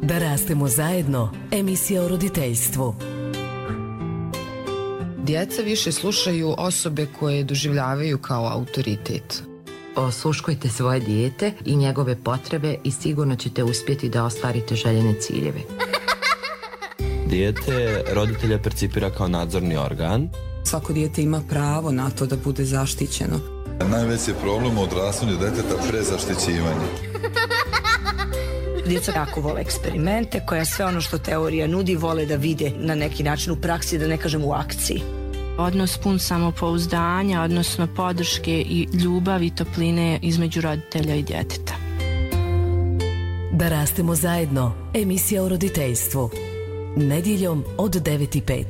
Da rastemo zajedno, emisija o roditeljstvu. Djeca više slušaju osobe koje doživljavaju kao autoritet. Osluškujte svoje dijete i njegove potrebe i sigurno ćete uspjeti da ostvarite željene ciljeve. Dijete roditelja percipira kao nadzorni organ. Svako dijete ima pravo na to da bude zaštićeno. Najveći problem u odrastanju djeteta prezaštićivanje. Djeca jako vole eksperimente, koja sve ono što teorija nudi vole da vide na neki način u praksi, da ne kažem u akciji. Odnos pun samopouzdanja, odnosno podrške i ljubavi i topline između roditelja i djeteta. Da rastemo zajedno, emisija o roditeljstvu. Nedjeljom od 9:05.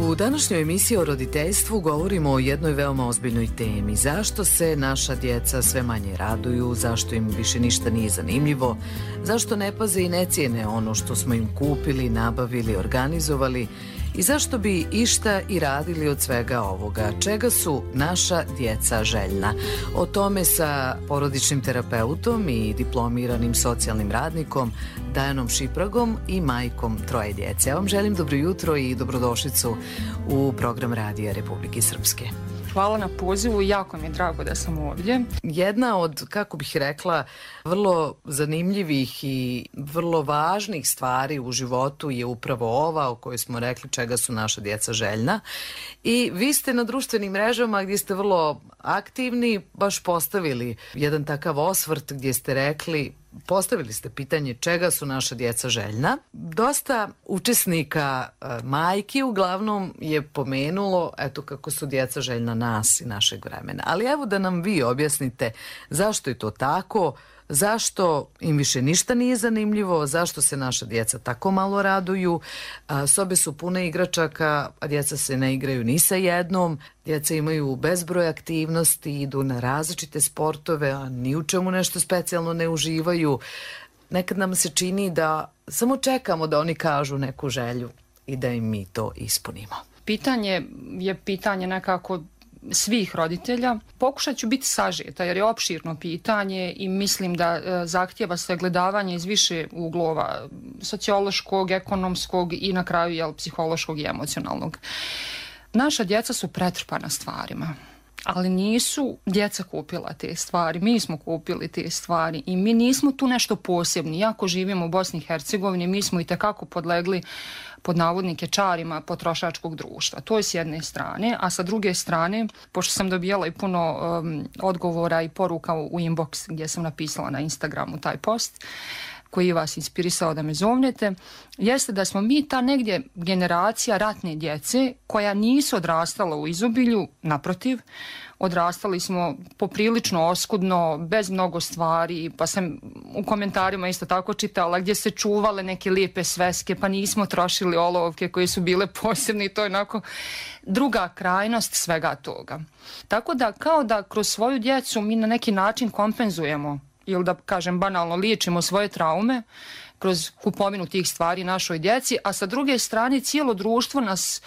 U današnjoj emisiji o roditeljstvu govorimo o jednoj veoma ozbiljnoj temi. Zašto se naša djeca sve manje raduju, zašto im više ništa nije zanimljivo, zašto ne paze i ne cijene ono što smo im kupili, nabavili, organizovali i zašto bi išta i radili od svega ovoga. Čega su naša djeca željna? O tome sa porodičnim terapeutom i diplomiranim socijalnim radnikom Dajanom Šipragom i majkom troje djece. Ja vam želim dobro jutro i dobrodošlicu u program Radija Republike Srpske. Hvala na pozivu i jako mi je drago da sam ovdje. Jedna od, kako bih rekla, vrlo zanimljivih i vrlo važnih stvari u životu je upravo ova o kojoj smo rekli čega su naša djeca željna. I vi ste na društvenim mrežama gdje ste vrlo aktivni baš postavili jedan takav osvrt gdje ste rekli, postavili ste pitanje čega su naša djeca željna. Dosta učesnika majki uglavnom je pomenulo eto kako su djeca željna nas i našeg vremena. Ali evo da nam vi objasnite zašto je to tako, zašto im više ništa nije zanimljivo, zašto se naša djeca tako malo raduju. Sobe su pune igračaka, a djeca se ne igraju ni sa jednom. Djeca imaju bezbroj aktivnosti, idu na različite sportove, a ni u čemu nešto specijalno ne uživaju. Nekad nam se čini da samo čekamo da oni kažu neku želju i da im mi to ispunimo. Pitanje je pitanje nekako svih roditelja. Pokušat ću biti sažeta jer je opširno pitanje i mislim da zahtijeva sagledavanje iz više uglova, sociološkog, ekonomskog i na kraju psihološkog i emocionalnog. Naša djeca su pretrpana stvarima, ali nisu djeca kupila te stvari, mi smo kupili te stvari i mi nismo tu nešto posebni. Iako živimo u Bosni i Hercegovini, mi smo itekako podlegli pod navodnike čarima potrošačkog društva. To je s jedne strane, a sa druge strane, pošto sam dobijala i puno odgovora i poruka u inbox gdje sam napisala na Instagramu taj post, koji je vas inspirisao da me zovnete, jeste da smo mi ta negdje generacija ratne djece koja nisu odrastala u izobilju, naprotiv, odrastali smo poprilično oskudno, bez mnogo stvari, pa sam u komentarima isto tako čitala gdje se čuvale neke lijepe sveske, pa nismo trošili olovke koje su bile posebne i to je onako druga krajnost svega toga. Tako da kao da kroz svoju djecu mi na neki način kompenzujemo ili da kažem banalno liječimo svoje traume kroz kupovinu tih stvari našoj djeci, a sa druge strane cijelo društvo nas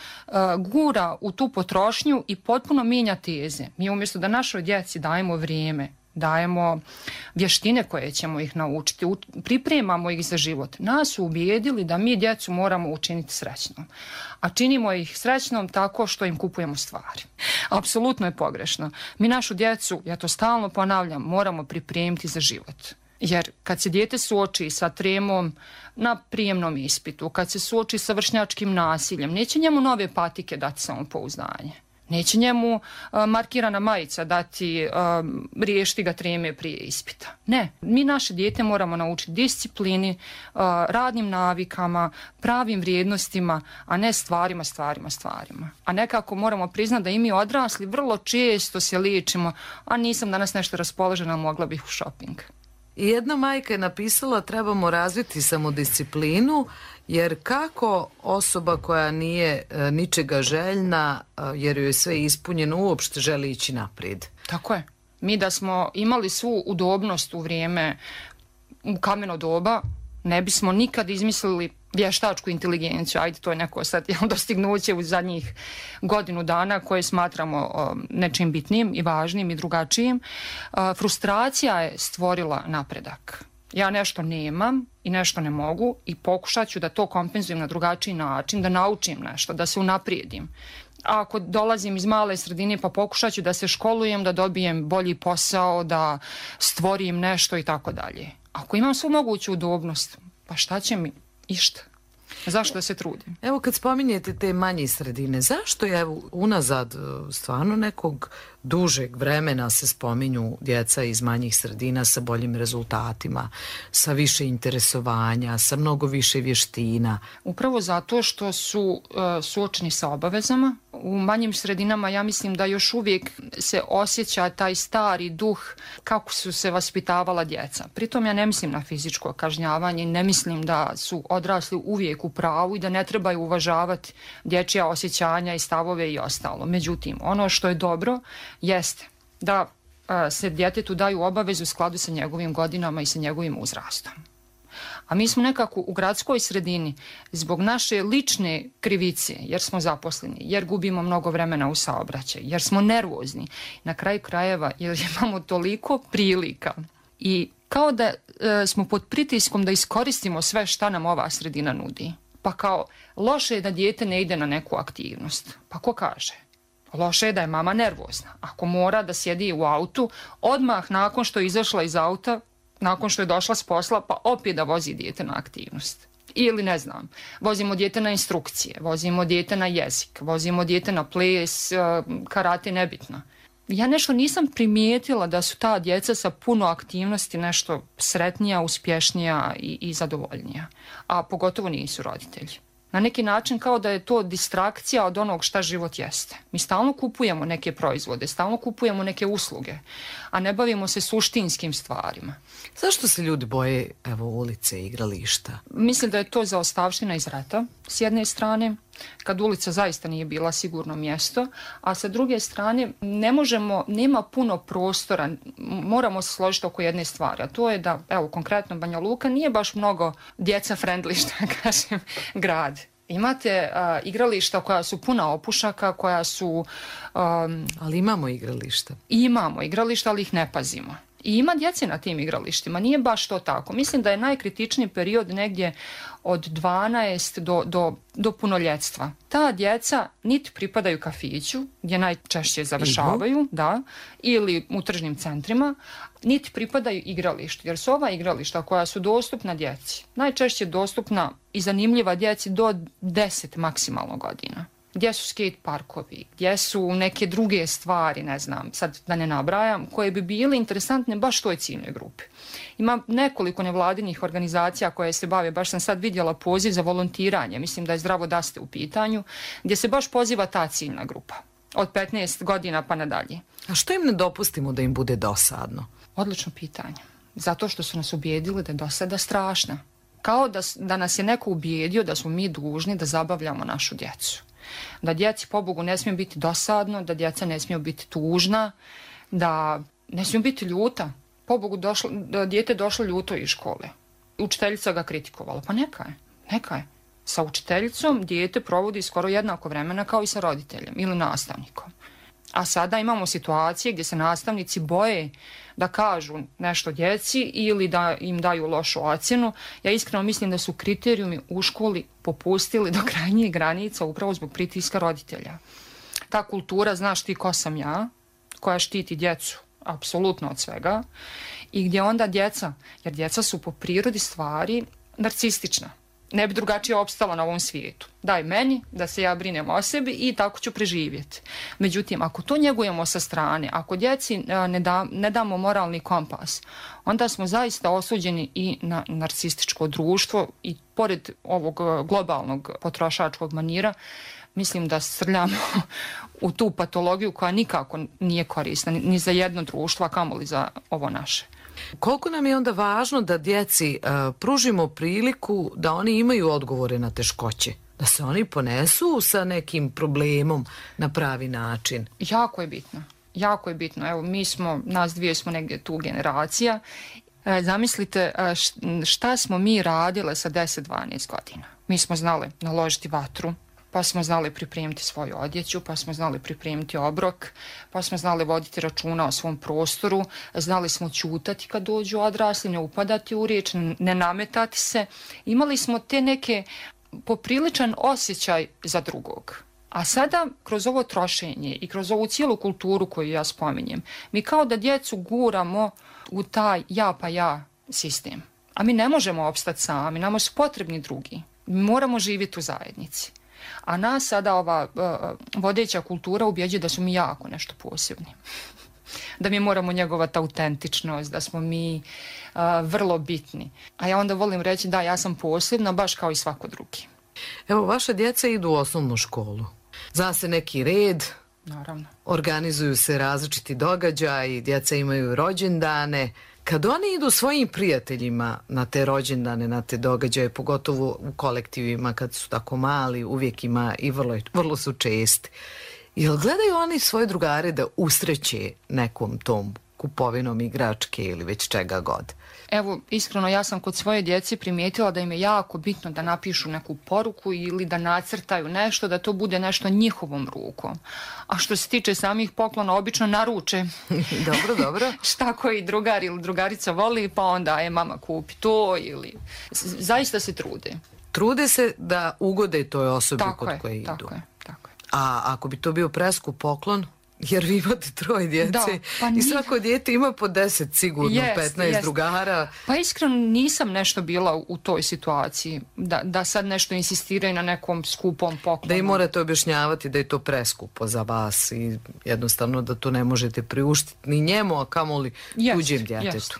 gura u tu potrošnju i potpuno mijenja teze. Mi umjesto da našoj djeci dajemo vrijeme, dajemo vještine koje ćemo ih naučiti, pripremamo ih za život. Nas su ubijedili da mi djecu moramo učiniti srećnom. A činimo ih srećnom tako što im kupujemo stvari. Apsolutno je pogrešno. Mi našu djecu, ja to stalno ponavljam, moramo pripremiti za život. Jer kad se dijete suoči sa tremom na prijemnom ispitu, kad se suoči sa vršnjačkim nasiljem, neće njemu nove patike dati samopouzdanje. Neće njemu markirana majica dati, riješiti ga treme prije ispita. Ne, mi naše dijete moramo naučiti disciplini, radnim navikama, pravim vrijednostima, a ne stvarima. A nekako moramo priznati da i mi odrasli vrlo često se liječimo, a nisam danas nešto raspoložena, mogla bih u shopping. I jedna majka je napisala trebamo razviti samodisciplinu, jer kako osoba koja nije ničega željna, jer joj je sve ispunjeno, uopšte želi ići naprijed. Tako je. Mi da smo imali svu udobnost u vrijeme u kameno doba, Ne bismo nikad izmislili vještačku inteligenciju, ajde, to je neko sad dostignuće u zadnjih godinu dana koje smatramo nečim bitnim i važnim i drugačijim. Frustracija je stvorila napredak. Ja nešto nemam i nešto ne mogu i pokušat ću da to kompenzujem na drugačiji način, da naučim nešto, da se unaprijedim. A ako dolazim iz male sredine, pa pokušat ću da se školujem, da dobijem bolji posao, da stvorim nešto i tako dalje. Ako imam svu moguću udobnost, pa šta će mi išta? Zašto da se trudim? Evo kad spominjete te manje sredine, zašto je unazad stvarno nekog dužeg vremena se spominju djeca iz manjih sredina sa boljim rezultatima, sa više interesovanja, sa mnogo više vještina? Upravo zato što su suočeni sa obavezama. U manjim sredinama ja mislim da još uvijek se osjeća taj stari duh kako su se vaspitavala djeca. Pritom ja ne mislim na fizičko kažnjavanje, ne mislim da su odrasli uvijek u pravu i da ne trebaju uvažavati dječja osjećanja i stavove i ostalo. Međutim, ono što je dobro jeste da se djetetu daju obavezu u skladu sa njegovim godinama i sa njegovim uzrastom. A mi smo nekako u gradskoj sredini zbog naše lične krivice, jer smo zaposleni, jer gubimo mnogo vremena u saobraćaju, jer smo nervozni, na kraju krajeva jer imamo toliko prilika i kao da smo pod pritiskom da iskoristimo sve šta nam ova sredina nudi. Pa kao, loše je da dijete ne ide na neku aktivnost. Pa ko kaže? Loše je da je mama nervozna. Ako mora da sjedi u autu, odmah nakon što je izašla iz auta, nakon što je došla s posla, pa opet da vozi dijete na aktivnost. Ili ne znam, vozimo dijete na instrukcije, vozimo dijete na jezik, vozimo dijete na ples, karate, nebitno. Ja nešto nisam primijetila da su ta djeca sa puno aktivnosti nešto sretnija, uspješnija i zadovoljnija. A pogotovo nisu roditelji. Na neki način kao da je to distrakcija od onog šta život jeste. Mi stalno kupujemo neke proizvode, stalno kupujemo neke usluge, a ne bavimo se suštinskim stvarima. Zašto se ljudi boje ulice i igrališta? Mislim da je to zaostavština iz rata, s jedne strane, kad ulica zaista nije bila sigurno mjesto, a sa druge strane nema puno prostora, moramo se složiti oko jedne stvari, a to je da, konkretno Banja Luka nije baš mnogo djeca friendly, što kažem, grad. Imate igrališta koja su puna opušaka, koja su... Ali imamo igrališta. Imamo igrališta, ali ih ne pazimo. I ima djece na tim igralištima, nije baš to tako. Mislim da je najkritičniji period negdje od 12 do punoljetstva. Ta djeca niti pripadaju kafiću, gdje najčešće završavaju, ili u tržnim centrima, niti pripadaju igralištu, jer su ova igrališta koja su dostupna djeci, najčešće dostupna i zanimljiva djeci do 10 maksimalno godina. Gdje su skate parkovi, gdje su neke druge stvari, ne znam, sad da ne nabrajam, koje bi bile interesantne baš toj ciljnoj grupi. Ima nekoliko nevladinih organizacija koje se bave, baš sam sad vidjela poziv za volontiranje, mislim da je Zdravo da ste u pitanju, gdje se baš poziva ta ciljna grupa, od 15 godina pa nadalje. A što im ne dopustimo da im bude dosadno? Odlično pitanje. Zato što su nas ubijedili da je dosada strašna. Kao da nas je neko ubijedio da smo mi dužni da zabavljamo našu djecu. Da djeci, pobogu, ne smije biti dosadno, da djeca ne smiju biti tužna, da ne smiju biti ljuta. Pobogu, dijete došlo ljuto iz škole. Učiteljica ga kritikovala. Pa neka je. Sa učiteljicom dijete provodi skoro jednako vremena kao i sa roditeljem ili nastavnikom. A sada imamo situacije gdje se nastavnici boje da kažu nešto djeci ili da im daju lošu ocjenu. Ja iskreno mislim da su kriterijumi u školi popustili do krajnjih granica upravo zbog pritiska roditelja. Ta kultura, znaš ti ko sam ja, koja štiti djecu apsolutno od svega i gdje onda djeca, jer djeca su po prirodi stvari narcistična. Ne bi drugačije opstala na ovom svijetu. Daj meni da se ja brinem o sebi i tako ću preživjeti. Međutim, ako to njegujemo sa strane, ako djeci ne damo moralni kompas, onda smo zaista osuđeni i na narcističko društvo i pored ovog globalnog potrošačkog manira, mislim da srljamo u tu patologiju koja nikako nije korisna ni za jedno društvo, a kamoli za ovo naše. Koliko nam je onda važno da djeci pružimo priliku da oni imaju odgovore na teškoće? Da se oni ponesu sa nekim problemom na pravi način? Jako je bitno. Jako je bitno. Evo, nas dvije smo negdje tu generacija Zamislite šta smo mi radile sa 10-12 godina. Mi smo znali naložiti vatru, pa smo znali pripremiti svoju odjeću, pa smo znali pripremiti obrok, pa smo znali voditi računa o svom prostoru, znali smo ćutati kad dođu odrasli, ne upadati u riječ, ne nametati se. Imali smo te neke popriličan osjećaj za drugog. A sada, kroz ovo trošenje i kroz ovu cijelu kulturu koju ja spominjem, mi kao da djecu guramo u taj ja pa ja sistem. A mi ne možemo opstati sami, nama su potrebni drugi. Mi moramo živjeti u zajednici. A nas sada ova vodeća kultura ubjeđuje da su mi jako nešto posebni. Da mi moramo njegovati autentičnost, da smo mi vrlo bitni. A ja onda volim reći da ja sam posebna baš kao i svako drugi. Evo, vaša djeca idu u osnovnu školu. Zna se neki red. Naravno. Organizuju se različiti događaji, djeca imaju rođendane. Kad oni idu svojim prijateljima na te rođendane, na te događaje, pogotovo u kolektivima kad su tako mali, uvijek ima i vrlo su česti. Jel gledaju oni svoje drugare da usreće nekom tom kupovinom igračke ili već čega god? Evo, iskreno, ja sam kod svoje djece primijetila da im je jako bitno da napišu neku poruku ili da nacrtaju nešto, da to bude nešto njihovom rukom. A što se tiče samih poklona, obično naruče. Dobro. Šta koji drugar ili drugarica voli, pa onda mama kupi to ili... Zaista se trude. Trude se da ugode toj osobi kod koje idu. Tako je. A ako bi to bio preskup poklon, jer vi imate 3 djece i svako dijete ima po 10 sigurno, 15 drugara. Pa iskreno nisam nešto bila u toj situaciji, da sad nešto insistiraju na nekom skupom poklonu. Da i morate objašnjavati da je to preskupo za vas i jednostavno da to ne možete priuštiti ni njemu, a kamoli tuđem djetetu.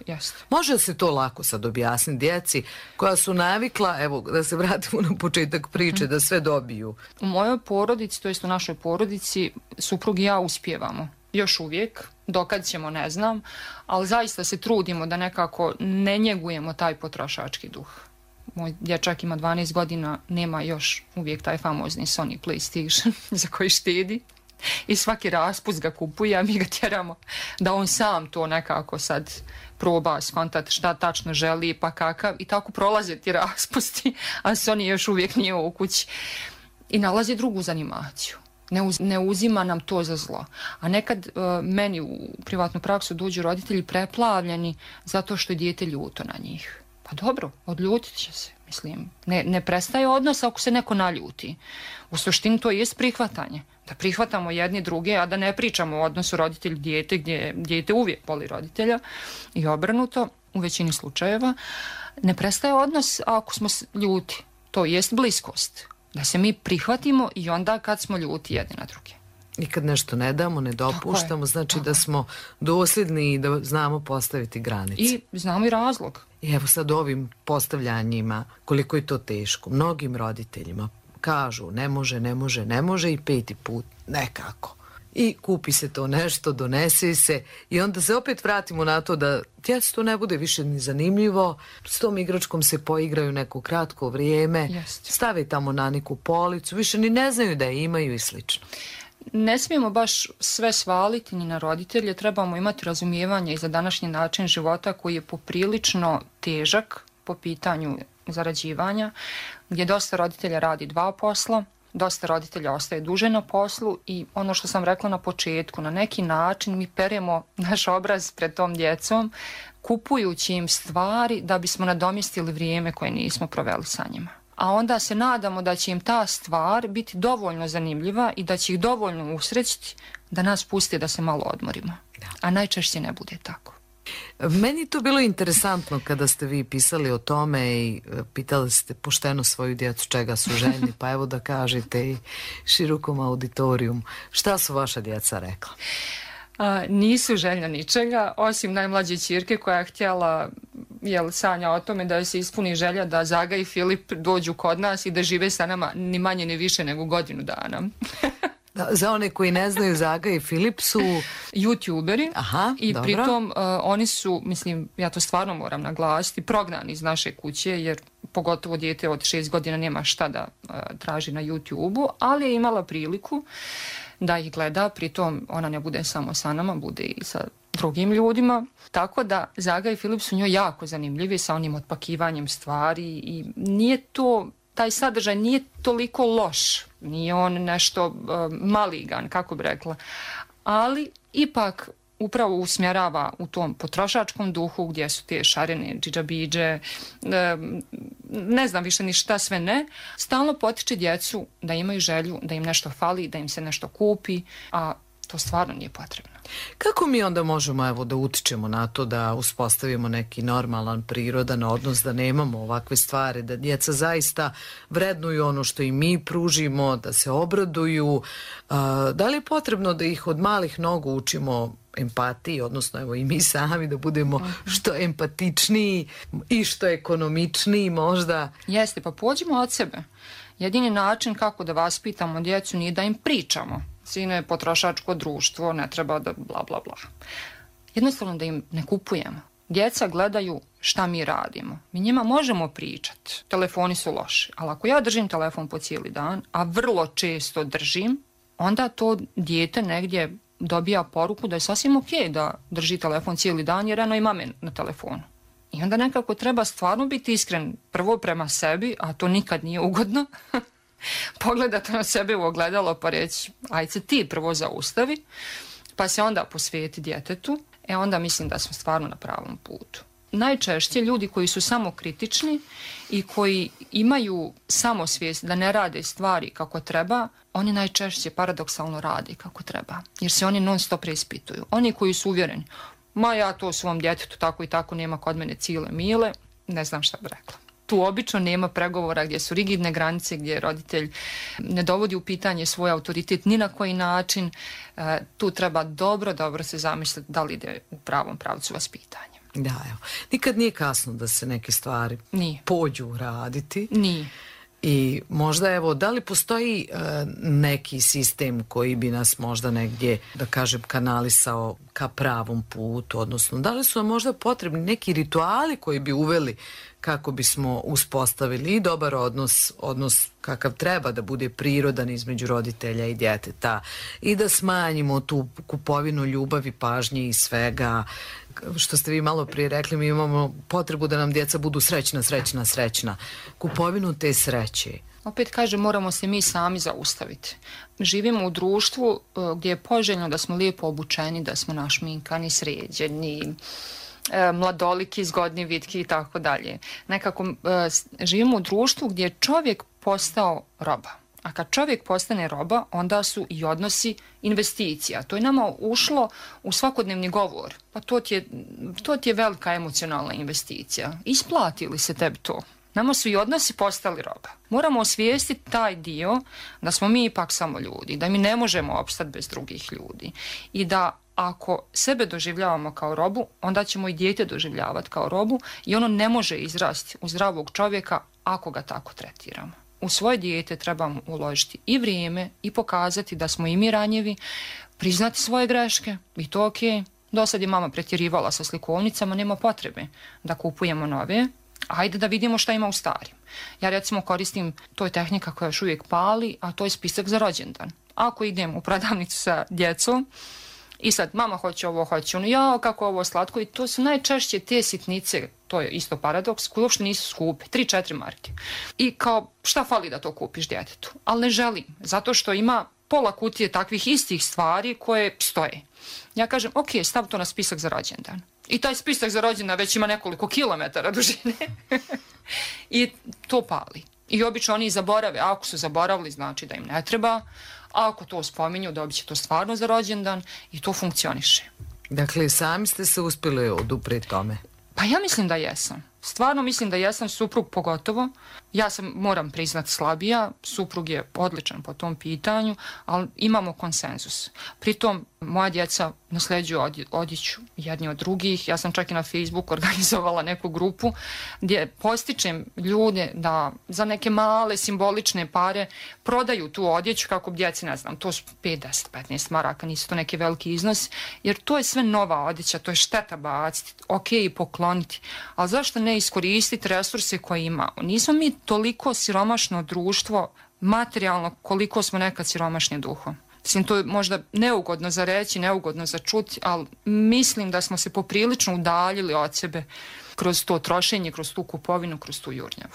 Može se to lako sad objasniti djeci koja su navikla, evo da se vratimo na početak priče, da sve dobiju. U mojoj porodici, to jest u našoj porodici, suprug i ja uspijevamo. Još uvijek, dokad ćemo ne znam, ali zaista se trudimo da nekako ne njegujemo taj potrošački duh. Moj dječak ima 12 godina, nema još uvijek taj famozni Sony PlayStation za koji štedi i svaki raspust ga kupuje, a mi ga tjeramo da on sam to nekako sad proba skontati šta tačno želi pa kakav i tako prolaze ti raspusti, a Sony još uvijek nije u kući i nalazi drugu zanimaciju. Ne uzima nam to za zlo. A nekad meni u privatnu praksu dođu roditelji preplavljeni zato što je dijete ljuto na njih. Pa dobro, odljutit će se. Mislim, ne prestaje odnos ako se neko naljuti. U suštini to jest prihvatanje. Da prihvatamo jedni druge, a da ne pričamo o odnosu roditelj-dijete gdje dijete uvijek voli roditelja i obrnuto u većini slučajeva. Ne prestaje odnos ako smo ljuti. To jest bliskost. Da se mi prihvatimo i onda kad smo ljuti jedni na druge. I kad nešto ne damo, ne dopuštamo, znači da smo dosljedni i da znamo postaviti granice. I znamo i razlog. I evo sad ovim postavljanjima, koliko je to teško. Mnogim roditeljima kažu ne može i 5. put nekako. I kupi se to nešto, donese se i onda se opet vratimo na to da djecu to ne bude više ni zanimljivo, s tom igračkom se poigraju neko kratko vrijeme, stave tamo na neku policu, više ni ne znaju da je imaju i slično. Ne smijemo baš sve svaliti ni na roditelje, trebamo imati razumijevanje i za današnji način života koji je poprilično težak po pitanju zarađivanja, gdje dosta roditelja radi 2 posla, dosta roditelja ostaje duže na poslu i ono što sam rekla na početku, na neki način mi peremo naš obraz pred tom djecom, kupujući im stvari da bismo nadomjestili vrijeme koje nismo proveli sa njima. A onda se nadamo da će im ta stvar biti dovoljno zanimljiva i da će ih dovoljno usrećiti da nas pusti da se malo odmorimo. A najčešće ne bude tako. Meni to bilo interesantno kada ste vi pisali o tome i pitali ste pošteno svoju djecu čega su željni, pa evo da kažete i širokom auditorijumu. Šta su vaša djeca rekla? Nisu željna ničega, osim najmlađe ćirke koja je htjela, sanja o tome da se ispuni želja da Zaga i Filip dođu kod nas i da žive sa nama ni manje ni više nego godinu dana. Za one koji ne znaju, Zaga i Filip su YouTuberi. I dobro. Pritom oni su, mislim, ja to stvarno moram naglasiti, prognani iz naše kuće, jer pogotovo dijete od 6 godina nema šta da traži na YouTubeu, ali je imala priliku da ih gleda, pritom ona ne bude samo sa nama, bude i sa drugim ljudima, tako da Zaga i Filip su njoj jako zanimljivi sa onim otpakivanjem stvari i nije to, taj sadržaj nije toliko loš, nije on nešto maligan, kako bi rekla, ali ipak upravo usmjerava u tom potrošačkom duhu gdje su te šarene džidžabidže, ne znam više ni šta sve ne, stalno potiče djecu da imaju želju, da im nešto fali, da im se nešto kupi, a to stvarno nije potrebno. Kako mi onda možemo da utičemo na to da uspostavimo neki normalan, prirodan odnos, da nemamo ovakve stvari, da djeca zaista vrednuju ono što i mi pružimo, da se obraduju? Da li je potrebno da ih od malih nogu učimo empatiji, odnosno evo i mi sami da budemo što empatičniji i što ekonomičniji možda? Jeste, pa pođimo od sebe. Jedini način kako da vaspitamo djecu nije da im pričamo. Sine, potrošačko društvo, ne treba da bla bla bla. Jednostavno da im ne kupujemo. Djeca gledaju šta mi radimo. Mi njima možemo pričati. Telefoni su loši, ali ako ja držim telefon po cijeli dan, a vrlo često držim, onda to dijete negdje dobija poruku da je sasvim ok da drži telefon cijeli dan jer eno ima me na telefonu. I onda nekako treba stvarno biti iskren prvo prema sebi, a to nikad nije ugodno. Pogledati na sebe u ogledalo pa reći ajde se ti prvo zaustavi, pa se onda posvijeti djetetu, onda mislim da smo stvarno na pravom putu. Najčešće ljudi koji su samokritični i koji imaju samosvijest da ne rade stvari kako treba, oni najčešće paradoksalno rade kako treba, jer se oni non stop preispituju. Oni koji su uvjereni, ma ja to svom djetetu tako i tako, nema kod mene cile mile, ne znam šta bi rekla. Tu obično nema pregovora gdje su rigidne granice, gdje roditelj ne dovodi u pitanje svoj autoritet ni na koji način. Tu treba dobro se zamisliti da li ide u pravom pravcu vaspitanja. Da, evo. Nikad nije kasno da se neke stvari pođu raditi. Nije. I možda evo, da li postoji neki sistem koji bi nas možda negdje, da kažem, kanalisao ka pravom putu, odnosno da li su nam možda potrebni neki rituali koji bi uveli kako bismo uspostavili i dobar odnos kakav treba da bude prirodan između roditelja i djeteta i da smanjimo tu kupovinu ljubavi, pažnje i svega. Što ste vi malo prije rekli, mi imamo potrebu da nam djeca budu srećna. Kupovinu te sreće. Opet kažem, moramo se mi sami zaustaviti. Živimo u društvu gdje je poželjno da smo lijepo obučeni, da smo našminkani, sređeni, mladoliki, zgodni, vitki i tako dalje. Nekako živimo u društvu gdje je čovjek postao roba. A kad čovjek postane roba, onda su i odnosi investicija. To je nama ušlo u svakodnevni govor. Pa to ti je velika emocionalna investicija. Isplati li se tebi to? Nama su i odnosi postali roba. Moramo osvijestiti taj dio da smo mi ipak samo ljudi, da mi ne možemo opstati bez drugih ljudi i da ako sebe doživljavamo kao robu, onda ćemo i dijete doživljavati kao robu i ono ne može izrasti u zdravog čovjeka ako ga tako tretiramo. U svoje dijete trebamo uložiti i vrijeme i pokazati da smo i mi ranjivi, priznati svoje greške i to ok. Do sad je mama pretjerivala sa slikovnicama, nema potrebe da kupujemo nove. Ajde da vidimo šta ima u starim. Ja recimo koristim, to je tehnika koja još uvijek pali, a to je spisak za rođendan. Ako idem u prodavnicu sa djecom i sad mama hoće ovo, hoće ono, ja kako ovo slatko, i to su najčešće te sitnice, to je isto paradoks, koje uopšte nisu skupe, 3-4 marke. I kao šta fali da to kupiš djetetu? Ali ne želim, zato što ima pola kutije takvih istih stvari koje stoje. Ja kažem, ok, stav to na spisak za rođendan. I taj spisak za rođendan već ima nekoliko kilometara dužine. I to pali. I obično oni zaborave. Ako su zaboravili, znači da im ne treba. A ako to spominju, dobit će to stvarno za rođendan i to funkcioniše. Dakle, sami ste se uspjeli oduprijeti tome? Pa ja mislim da jesam. Stvarno mislim da jesam, suprug pogotovo. Ja sam, moram priznati, slabija. Suprug je odličan po tom pitanju, ali imamo konsenzus. Pritom, moja djeca nasljeđuju odjeću jedni od drugih. Ja sam čak i na Facebooku organizovala neku grupu gdje postičem ljude da za neke male simbolične pare prodaju tu odjeću kako bi djeci, ne znam, to su 5, 10, 15 maraka, nisu to neki veliki iznos, jer to je sve nova odjeća, to je šteta baciti, ok i pokloniti, ali zašto ne iskoristiti resurse koje imamo? Nismo mi toliko siromašno društvo materijalno koliko smo nekad siromašni duhom. Mislim, to je možda neugodno za reći, neugodno za čuti, ali mislim da smo se poprilično udaljili od sebe kroz to trošenje, kroz tu kupovinu, kroz tu jurnjavu.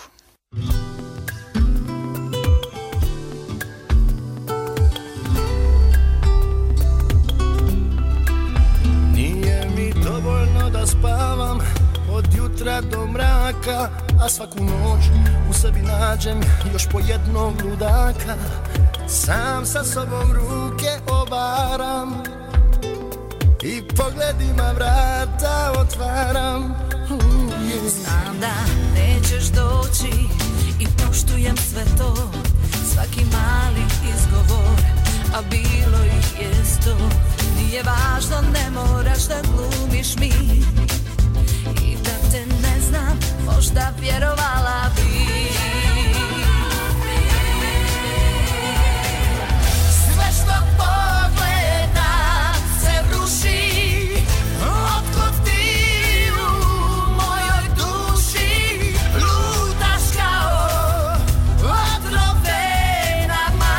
Nije mi dovoljno da spavam od jutra do mraka, a svaku noć u sebi nađem još po jednog ludaka. Sam sa sobom ruke obaram i pogledima vrata otvaram. Znam da nećeš doći i poštujem sve to, svaki mali izgovor, a bilo ih je 100. Nije važno, ne moraš da glumiš mi i da te ne znam, možda vjerovala bi. Sve što pogledam se ruši, otkud ti u mojoj duši lutaš kao otrov venama.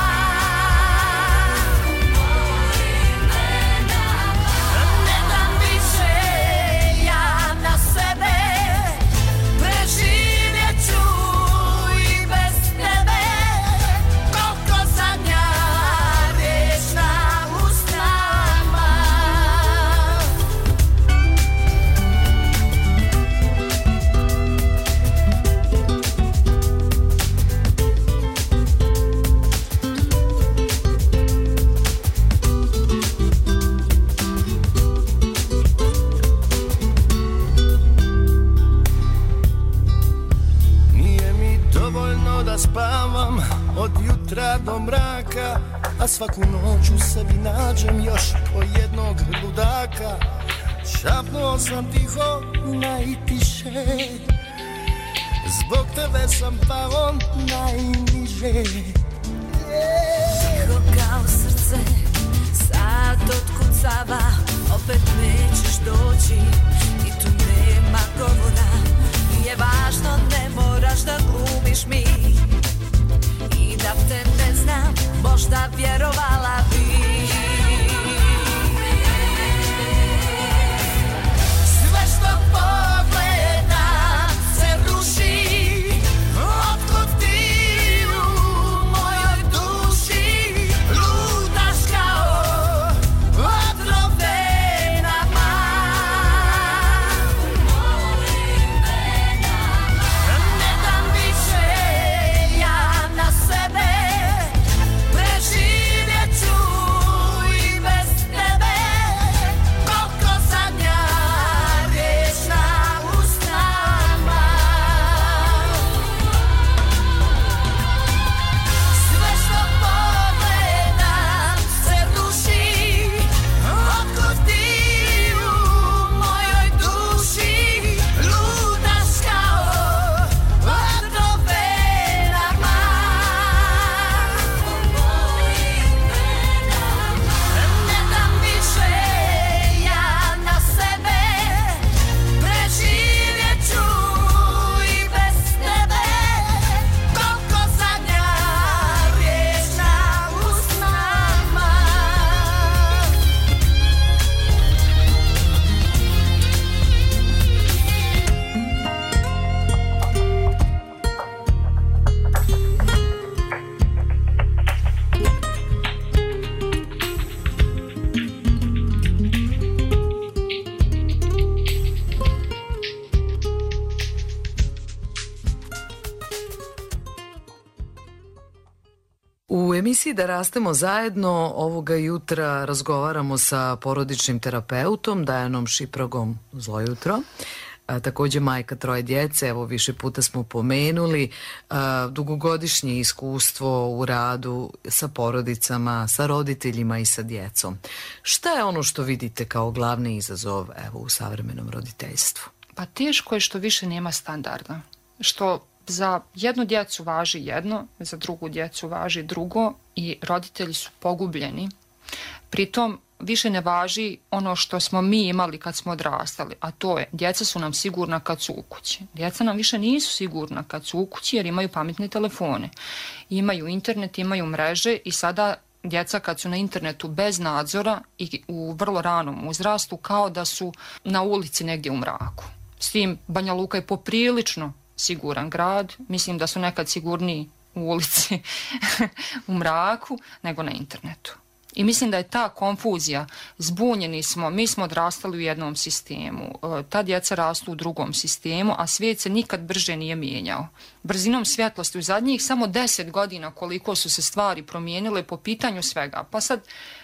Ne dam više ja na sebe, preživjet ću i bez tebe, koliko zadnja riječ na usnama. Nije mi dovoljno da spavam od jutra do mraka, a svaku noć u sebi nađem još po jednog ludaka. Šapnuo sam tiho najtiše, zbog tebe sam pao najniže. Tiho kao srce, sad otkucava, opet nećeš doći i tu nema govora. Nije važno, ne moraš da glumiš mi i da te ne znam, možda vjerovala bi. Sve što pogledam se ruši, otkud ti u mojoj duši lutaš kao otrov venama. Ne dam više ja na sebe, preživjet ću i bez tebe, koliko zadnja riječ na usnama. Sve što pogledam se ruši, otkud ti u mojoj duši lutaš kao otrov venama. Ne dam više ja na sebe, preživjet ću i bez tebe, koliko zadnja riječ na usnama. U emisiji Da rastemo zajedno ovoga jutra razgovaramo sa porodičnim terapeutom Dajanom Šipragom. Zlo jutro. Takođe majka 3 djece, evo više puta smo pomenuli, dugogodišnje iskustvo u radu sa porodicama, sa roditeljima i sa djecom. Šta je ono što vidite kao glavni izazov evo, u savremenom roditeljstvu? Pa teško je što više nema standarda. Što za jednu djecu važi jedno, za drugu djecu važi drugo i roditelji su pogubljeni. Pritom više ne važi ono što smo mi imali kad smo odrastali, a to je djeca su nam sigurna kad su u kući. Djeca nam više nisu sigurna kad su u kući jer imaju pametne telefone, imaju internet, imaju mreže i sada djeca kad su na internetu bez nadzora i u vrlo ranom uzrastu kao da su na ulici negdje u mraku. S tim Banja Luka je poprilično siguran grad, mislim da su nekad sigurniji u ulici u mraku nego na internetu. I mislim da je ta konfuzija, zbunjeni smo, mi smo odrastali u jednom sistemu, ta djeca rastu u drugom sistemu, a svijet se nikad brže nije mijenjao. Brzinom svjetlosti u zadnjih samo 10 godina koliko su se stvari promijenile po pitanju svega, pa sad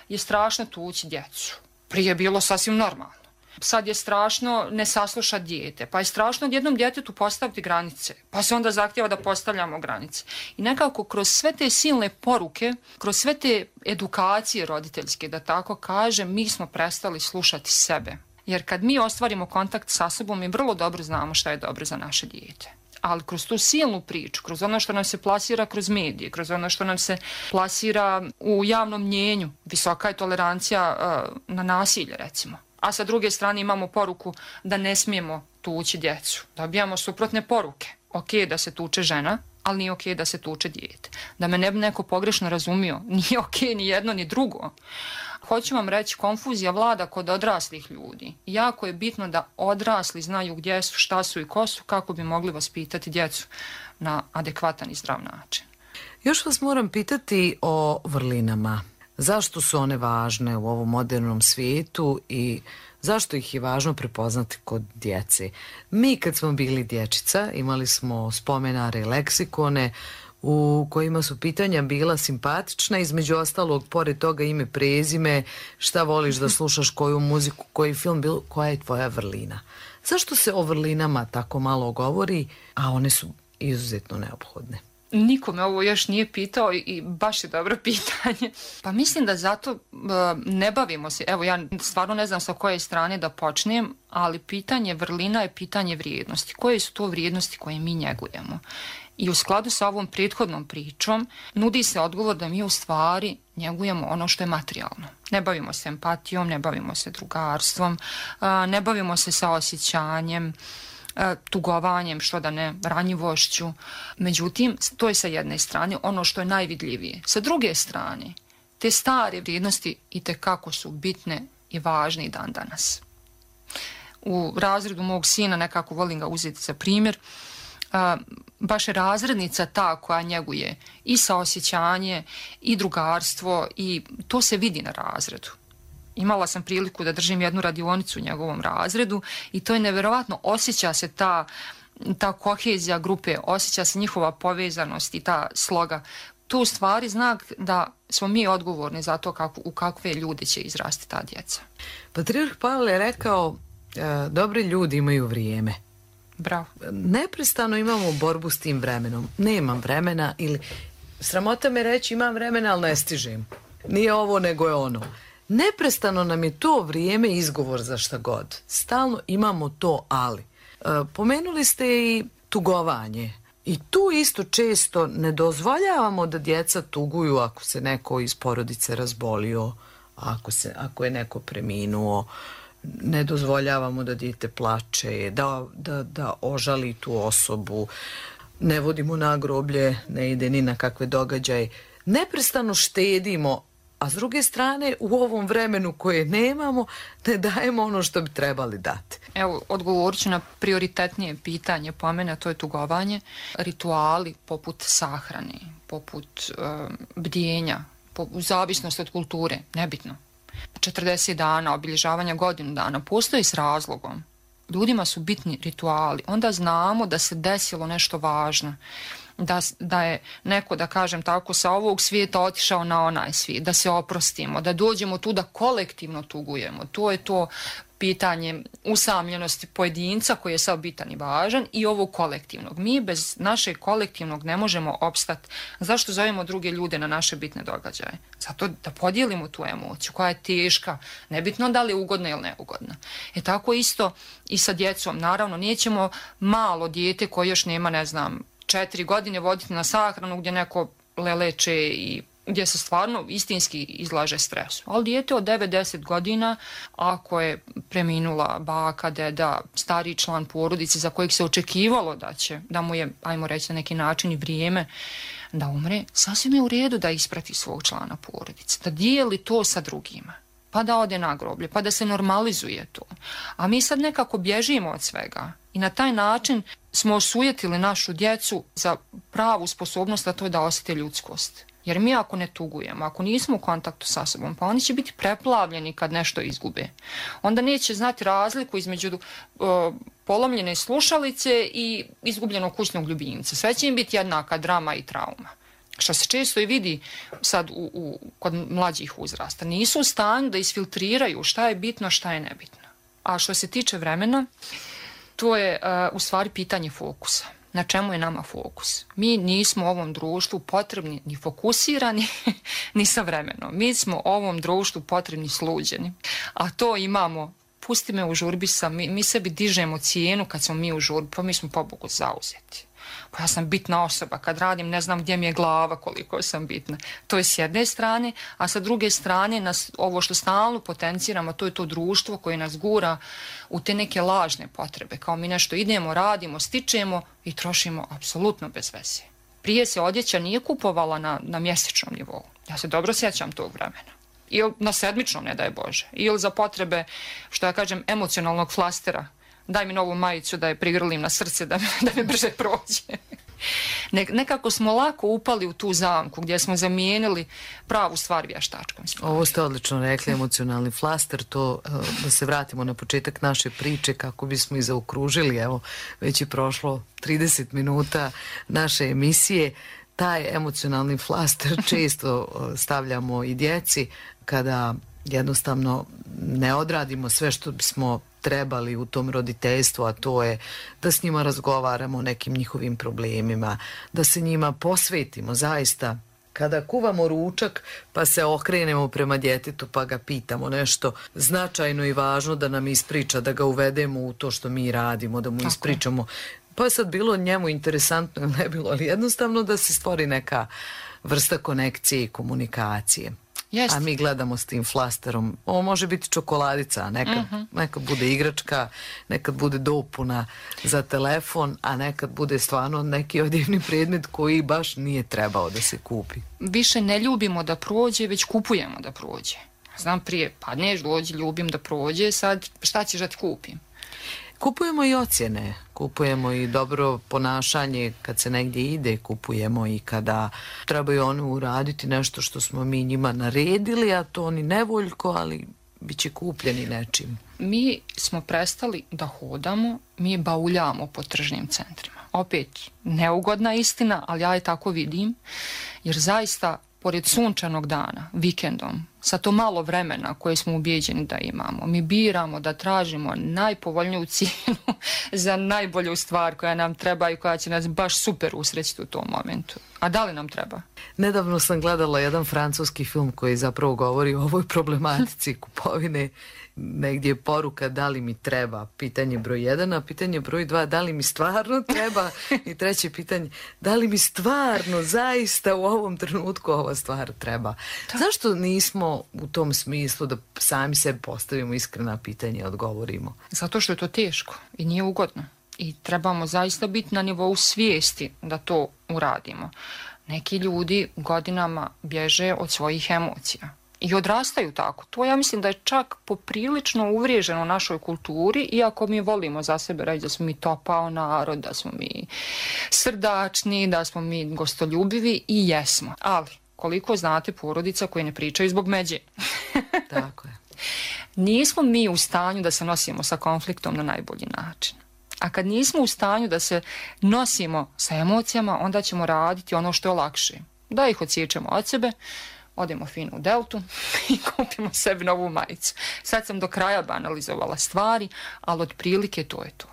je strašno tući djecu. Prije je bilo sasvim normalno. Sad je strašno ne saslušati dijete, pa je strašno jednom djetetu postaviti granice, pa se onda zahtjeva da postavljamo granice. I nekako kroz sve te silne poruke, kroz sve te edukacije roditeljske, da tako kažem, mi smo prestali slušati sebe. Jer kad mi ostvarimo kontakt sa sobom, mi vrlo dobro znamo šta je dobro za naše dijete. Ali kroz tu silnu priču, kroz ono što nam se plasira kroz medije, kroz ono što nam se plasira u javnom mnjenju, visoka je tolerancija na nasilje, recimo. A sa druge strane imamo poruku da ne smijemo tući djecu. Dobijamo suprotne poruke. Ok da se tuče žena, ali nije ok da se tuče dijete. Da me ne bi neko pogrešno razumio, nije ok ni jedno ni drugo. Hoću vam reći, konfuzija vlada kod odraslih ljudi. Jako je bitno da odrasli znaju gdje su, šta su i ko su, kako bi mogli vaspitati djecu na adekvatan i zdrav način. Još vas moram pitati o vrlinama. Zašto su one važne u ovom modernom svijetu i zašto ih je važno prepoznati kod djece? Mi kad smo bili dječica imali smo spomenare i leksikone u kojima su pitanja bila simpatična, između ostalog pored toga ime, prezime, šta voliš da slušaš, koju muziku, koji film, koja je tvoja vrlina. Zašto se o vrlinama tako malo govori, a one su izuzetno neophodne? Niko me ovo još nije pitao i baš je dobro pitanje. Pa mislim da zato ne bavimo se, evo ja stvarno ne znam sa koje strane da počnem, ali pitanje vrlina je pitanje vrijednosti. Koje su to vrijednosti koje mi njegujemo? I u skladu sa ovom prethodnom pričom nudi se odgovor da mi u stvari njegujemo ono što je materijalno. Ne bavimo se empatijom, ne bavimo se drugarstvom, ne bavimo se saosjećanjem, tugovanjem, što da ne, ranjivošću. Međutim, to je sa jedne strane ono što je najvidljivije. Sa druge strane, te stare vrijednosti itekako su bitne i važne i dan danas. U razredu mog sina, nekako volim ga uzeti za primjer, baš je razrednica ta koja njeguje i saosjećanje i drugarstvo i to se vidi na razredu. Imala sam priliku da držim jednu radionicu u njegovom razredu i to je nevjerovatno, osjeća se ta kohezija grupe, osjeća se njihova povezanost i ta sloga. To u stvari znak da smo mi odgovorni za to u kakve ljude će izrasti ta djeca. Patrijarh Pavle je rekao, dobri ljudi imaju vrijeme. Bravo. Neprestano imamo borbu s tim vremenom. Nemam vremena ili sramota me reći imam vremena, ali ne stižem. Nije ovo nego je ono. Neprestano nam je to vrijeme izgovor za šta god. Stalno imamo to ali. Pomenuli ste i tugovanje. I tu isto često ne dozvoljavamo da djeca tuguju ako se neko iz porodice razbolio, ako je neko preminuo. Ne dozvoljavamo da dijete plače, da ožali tu osobu. Ne vodimo na groblje, ne ide ni na kakve događaje. Neprestano štedimo, a s druge strane u ovom vremenu koje nemamo ne dajemo ono što bi trebali dati. Evo, odgovorit ću na prioritetnije pitanje po mene, a to je tugovanje. Rituali poput sahrane, poput bdjenja, u zavisnosti od kulture, nebitno. 40 dana, obilježavanja godinu dana, postoji s razlogom. Ljudima su bitni rituali. Onda znamo da se desilo nešto važno. Da je neko, da kažem tako, sa ovog svijeta otišao na onaj svijet, da se oprostimo, da dođemo tu da kolektivno tugujemo. To je to pitanje usamljenosti pojedinca koji je sad bitan i važan i ovog kolektivnog. Mi bez našeg kolektivnog ne možemo opstati. Zašto zovemo druge ljude na naše bitne događaje? Zato da podijelimo tu emociju koja je teška, nebitno da li je ugodna ili neugodna. Tako isto i sa djecom. Naravno, nećemo malo dijete koje još nema, 4 godine voditi na sahranu gdje neko leleče i gdje se stvarno istinski izlaže stresu. Ali dijete od 9-10 godina, ako je preminula baka, deda, stariji član porodice za kojeg se očekivalo da mu je, ajmo reći na neki način, i vrijeme da umre, sasvim je u redu da isprati svog člana porodice, da dijeli to sa drugima, pa da ode na groblje, pa da se normalizuje to. A mi sad nekako bježimo od svega i na taj način smo osujetili našu djecu za pravu sposobnost, a to je da osjete ljudskost. Jer mi ako ne tugujemo, ako nismo u kontaktu sa sobom, pa oni će biti preplavljeni kad nešto izgube. Onda neće znati razliku između polomljene slušalice i izgubljenog kućnog ljubimca. Sve će im biti jednaka drama i trauma. Što se često i vidi sad kod mlađih uzrasta. Nisu u stanju da isfiltriraju šta je bitno, šta je nebitno. A što se tiče vremena, to je u stvari pitanje fokusa. Na čemu je nama fokus? Mi nismo ovom društvu potrebni ni fokusirani, ni sa vremenom. Mi smo ovom društvu potrebni sluđeni. A to imamo, pusti me u žurbi sam, mi sebi dižemo cijenu kad smo mi u žurbi, pa mi smo pobogu zauzeti. Pa ja sam bitna osoba, kad radim ne znam gdje mi je glava koliko sam bitna. To je s jedne strane, a sa druge strane ovo što stalno potenciramo, to je to društvo koje nas gura u te neke lažne potrebe. Kao mi nešto idemo, radimo, stičemo i trošimo apsolutno bez veze. Prije se odjeća nije kupovala na mjesečnom nivou. Ja se dobro sjećam tog vremena. Ili na sedmičnom, ne daj Bože. Ili za potrebe, što ja kažem, emocionalnog flastera. Daj mi novu majicu da je prigrlim na srce da mi brže prođe. Nekako smo lako upali u tu zamku gdje smo zamijenili pravu stvar vještačkom. Ovo ste odlično rekli, emocionalni flaster, to da se vratimo na početak naše priče kako bismo i zaokružili, evo već je prošlo 30 minuta naše emisije. Taj emocionalni flaster često stavljamo i djeci kada jednostavno ne odradimo sve što bismo trebali u tom roditeljstvu, a to je da s njima razgovaramo o nekim njihovim problemima, da se njima posvetimo zaista. Kada kuvamo ručak pa se okrenemo prema djetetu pa ga pitamo nešto značajno i važno da nam ispriča, da ga uvedemo u to što mi radimo, da mu ispričamo. Pa je sad bilo njemu interesantno ili ne bilo, ali jednostavno da se stvori neka vrsta konekcije i komunikacije. Jest. A mi gledamo s tim flasterom. Ovo može biti čokoladica, nekad bude igračka, nekad bude dopuna za telefon, a nekad bude stvarno neki odjevni predmet koji baš nije trebao da se kupi. Više ne ljubimo da prođe, već kupujemo da prođe. Znam prije, padneš, dođi, ljubim da prođe, sad šta ćeš da ti kupim? Kupujemo i ocjene, kupujemo i dobro ponašanje kad se negdje ide, kupujemo i kada trebaju oni uraditi nešto što smo mi njima naredili, a to oni nevoljko, ali bit će kupljeni nečim. Mi smo prestali da hodamo, mi bauljamo po tržnim centrima. Opet, neugodna istina, ali ja je tako vidim, jer zaista pored sunčanog dana, vikendom, sa to malo vremena koje smo ubijeđeni da imamo, mi biramo da tražimo najpovoljniju cijenu za najbolju stvar koja nam treba i koja će nas baš super usrećiti u tom momentu. A da li nam treba? Nedavno sam gledala jedan francuski film koji zapravo govori o ovoj problematici kupovine. Negdje je poruka da li mi treba, pitanje broj 1, a pitanje broj 2, da li mi stvarno treba, i treće pitanje, da li mi stvarno zaista u ovom trenutku ova stvar treba. Zašto nismo u tom smislu da sami sebi postavimo iskrena pitanja i odgovorimo? Zato što je to teško i nije ugodno. I trebamo zaista biti na nivou svijesti da to uradimo. Neki ljudi godinama bježe od svojih emocija. I odrastaju tako. To ja mislim da je čak poprilično uvriježeno u našoj kulturi, iako mi volimo za sebe reći da smo mi topao narod, da smo mi srdačni, da smo mi gostoljubivi i jesmo. Ali, koliko znate porodica koje ne pričaju zbog međe? Tako je. Nismo mi u stanju da se nosimo sa konfliktom na najbolji način. A kad nismo u stanju da se nosimo sa emocijama, onda ćemo raditi ono što je lakše. Da ih odsjećamo od sebe, odemo fino u Deltu i kupimo sebi novu majicu. Sad sam do kraja banalizovala stvari, ali otprilike to je to.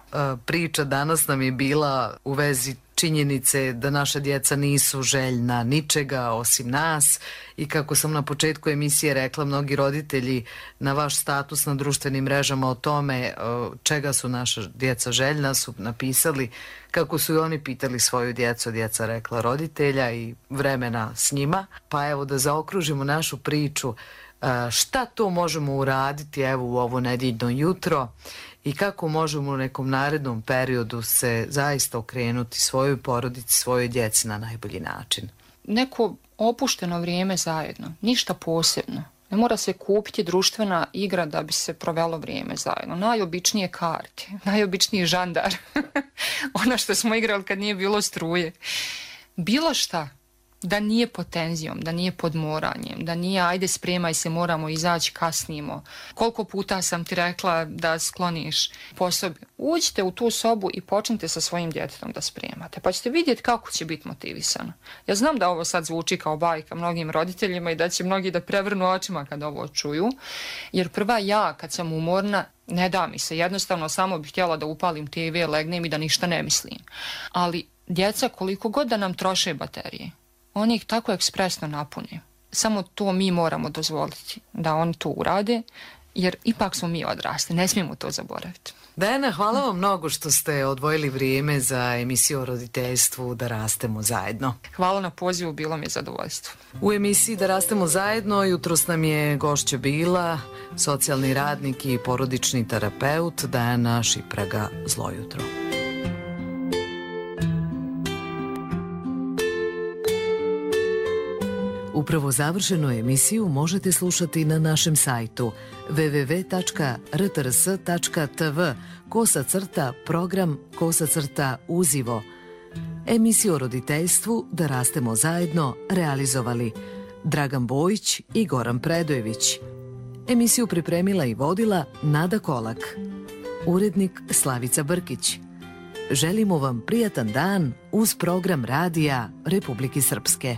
Priča danas nam je bila u vezi činjenice da naša djeca nisu željna ničega osim nas i kako sam na početku emisije rekla, mnogi roditelji na vaš status na društvenim mrežama o tome čega su naša djeca željna su napisali kako su i oni pitali svoju djecu, djeca rekla roditelja i vremena s njima. Pa evo da zaokružimo našu priču, šta to možemo uraditi evo u ovo nedjeljno jutro i kako možemo u nekom narednom periodu se zaista okrenuti svojoj porodici, svojoj djeci na najbolji način. neko opušteno vrijeme zajedno, ništa posebno. Ne mora se kupiti društvena igra da bi se provelo vrijeme zajedno. Najobičnije karte, najobičniji žandar. Ono što smo igrali kad nije bilo struje. Bilo šta. Da nije pod tenzijom, da nije pod moranjem, da nije ajde spremaj se, moramo izaći, kasnimo. Koliko puta sam ti rekla da skloniš po sobi. Uđite u tu sobu i počnite sa svojim djetetom da spremate, pa ćete vidjeti kako će biti motivisano. Ja znam da ovo sad zvuči kao bajka mnogim roditeljima i da će mnogi da prevrnu očima kad ovo čuju, jer prva ja kad sam umorna, ne da mi se, jednostavno samo bih htjela da upalim TV, legnem i da ništa ne mislim. Ali djeca koliko god da nam troše baterije, oni ih tako ekspresno napune. Samo to mi moramo dozvoliti da oni to urade, jer ipak smo mi odrasli, ne smijemo to zaboraviti. Dajana, hvala vam mnogo što ste odvojili vrijeme za emisiju o roditeljstvu Da rastemo zajedno. Hvala na pozivu, bilo mi je zadovoljstvo. U emisiji Da rastemo zajedno jutros nam je gošća bila socijalni radnik i porodični terapeut Dajana Šipraga. Zlo jutro. Upravo završenu emisiju možete slušati na našem sajtu www.rtrs.tv/program/uzivo. Emisiju o roditeljstvu Da rastemo zajedno realizovali Dragan Bojić i Goran Predojević. Emisiju pripremila i vodila Nada Kolak. Urednik Slavica Brkić. Želimo vam prijatan dan uz program radija Republike Srpske.